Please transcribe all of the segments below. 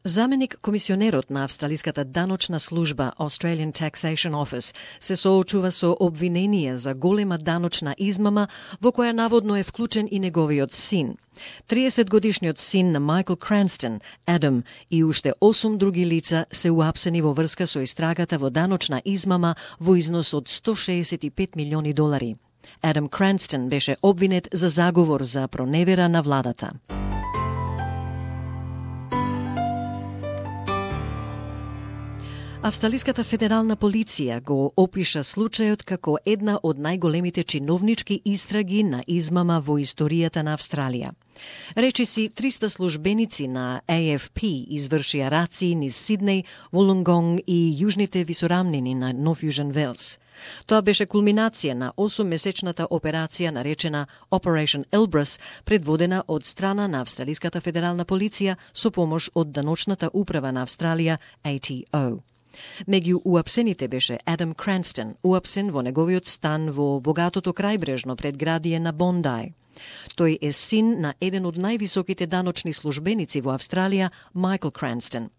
Заменик комисионерот на Австралиската даночна служба Australian Taxation Office се соочува со обвинение за голема даночна измама во која наводно е вклучен и неговиот син. 30-годишниот син на Майкл Кранстон, Адам, и уште 8 други лица се уапсени во врска со истрагата во даночна измама во износ од $165 милиони. Адам Кранстон беше обвинет за заговор за проневера на владата. Австралиската федерална полиција го опиша случајот како една од најголемите чиновнички истраги на измама во историјата на Австралија. Речиси 300 службеници на AFP извршија раци низ Сиднеј, Волонгонг и јужните висорамнини на Нов Јужен Велс. Тоа беше кулминација на 8-месечната операција наречена Operation Elbrus, предводена од страна на Австралиската федерална полиција со помош од Даночната управа на Австралија, ATO. Меѓу уапсените беше Адам Кранстон, уапсен во неговиот стан во богатото крајбрежно предградие на Бондај. Тој е син на еден од највисоките даночни службеници во Австралија, Майкл Кранстон.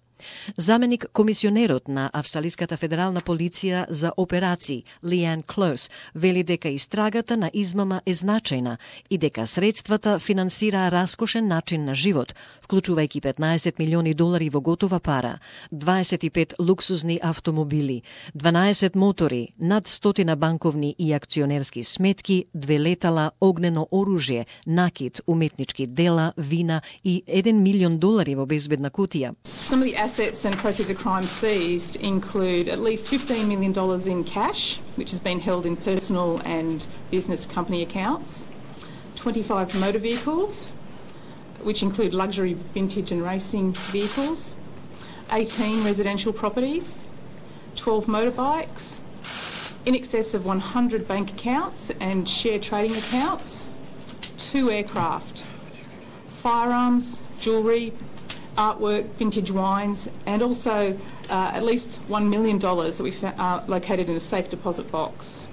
Заменик комисионерот на Австралиската федерална полиција за операции, Лиан Клоус, вели дека истрагата на измама е значајна и дека средствата финансираа раскошен начин на живот, вклучувајќи $15 милиони во готова пара, 25 луксузни автомобили, 12 мотори, над 100 банковни и акционерски сметки, 2 летала, огнено оружје, накид, уметнички дела, вина и $1 милион во безбедна кутија. Some of the assets and proceeds of crime seized include at least $15 million in cash, which has been held in personal and business company accounts, 25 motor vehicles, which include luxury vintage and racing vehicles, 18 residential properties, 12 motorbikes, in excess of 100 bank accounts and share trading accounts, 2 aircraft, firearms, jewellery, artwork, vintage wines, and also at least $1 million that we located in a safe deposit box.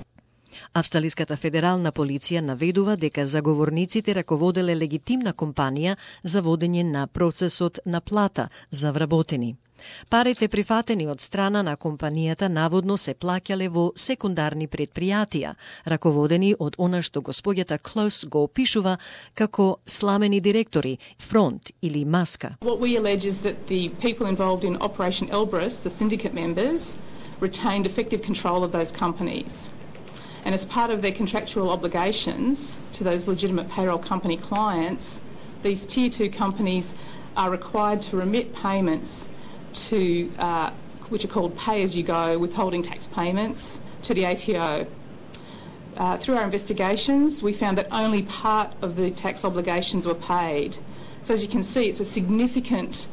Австралиската федерална полиција наведува дека заговорниците раководеле легитимна компанија за водење на процесот на плата за вработени. Парите прифатени од страна на компанијата наводно се плаќале во секундарни предпријатија, раководени од она што господјата Клоус го опишува како сламени директори, фронт или маска. What we allege is that the people involved in Operation Elbrus, the syndicate members, retained effective control of those companies. And as part of their contractual obligations to those legitimate payroll company clients, these Tier 2 companies are required to remit payments to, which are called pay-as-you-go withholding tax payments to the ATO. Through our investigations, we found that only part of the tax obligations were paid. So as you can see, it's a significant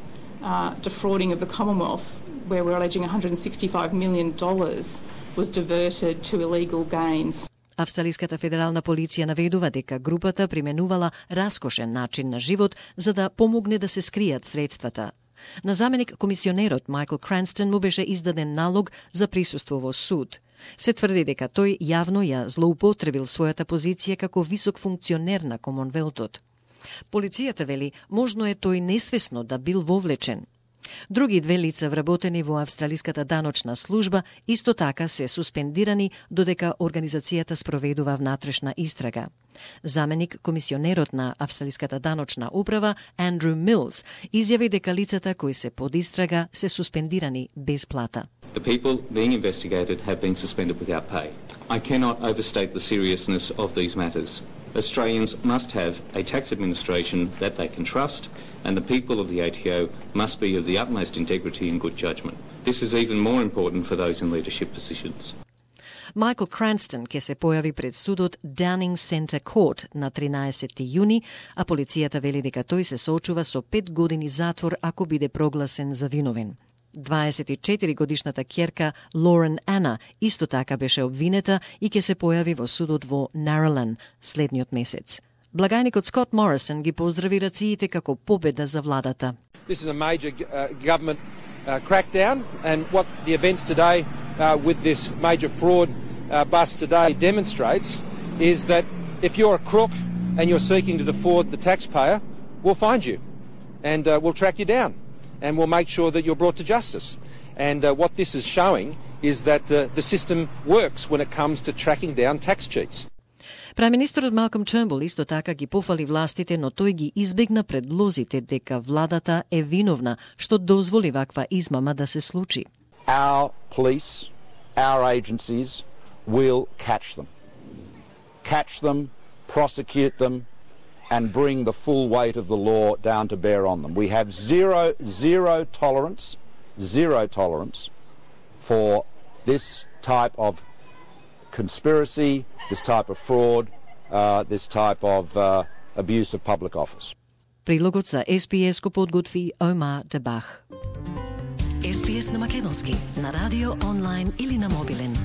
defrauding of the Commonwealth, where we're alleging $165 million was diverted to illegal gains. Австралиската федерална полиција наведува дека групата применувала раскошен начин на живот за да помогне да се скријат средствата. На заменик комисионерот Майкл Кранстон му беше издаден налог за присуство во суд. Се тврди дека тој јавно ја злоупотребил својата позиција како висок функционер на Комонвелтот. Полицијата вели, можно е тој несвесно да бил вовлечен. Други 2 лица вработени во Австралиската даночна служба исто така се суспендирани додека организацијата спроведува внатрешна истрага. Заменик комисионерот на Австралиската даночна управа Андрю Милс изјави дека лицата кои се под истрага се суспендирани без плата. The people being investigated have been suspended without pay. I cannot overstate the seriousness of these matters. Australians must have a tax administration that they can trust, and the people of the ATO must be of the utmost integrity and good judgment. This is even more important for those in leadership positions. Майкл Кранстон ќе се појави пред судот Downing Centre Court на 13 јуни, а полицијата вели дека тој се соочува со 5 години затвор ако биде прогласен за виновен. 24-годишната ќерка Лорен Ана исто така беше обвинета и ќе се појави во судот во Narrowlan следниот месец. Благајникот Скот Морисон ги поздрави рациите како победа за владата. This is a major government crackdown, and what the events today with this major fraud bust today demonstrates is that if you're a crook and you're seeking to defraud the taxpayer, we'll find you and we'll track you down. and we'll make sure that you're brought to justice. And what this is showing is that the system works when it comes to tracking down tax cheats. Премиерот Малком Тернбул исто така ги пофали властите, но тој ги избегна предлозите дека владата е виновна што дозволи ваква измама да се случи. Our police, our agencies will catch them, prosecute them, and bring the full weight of the law down to bear on them. We have zero tolerance for this type of conspiracy, this type of fraud, this type of abuse of public office. Прилогот за SPS го подготви Ома Дебах. SPS на македонски, на радио, онлайн или на мобилен.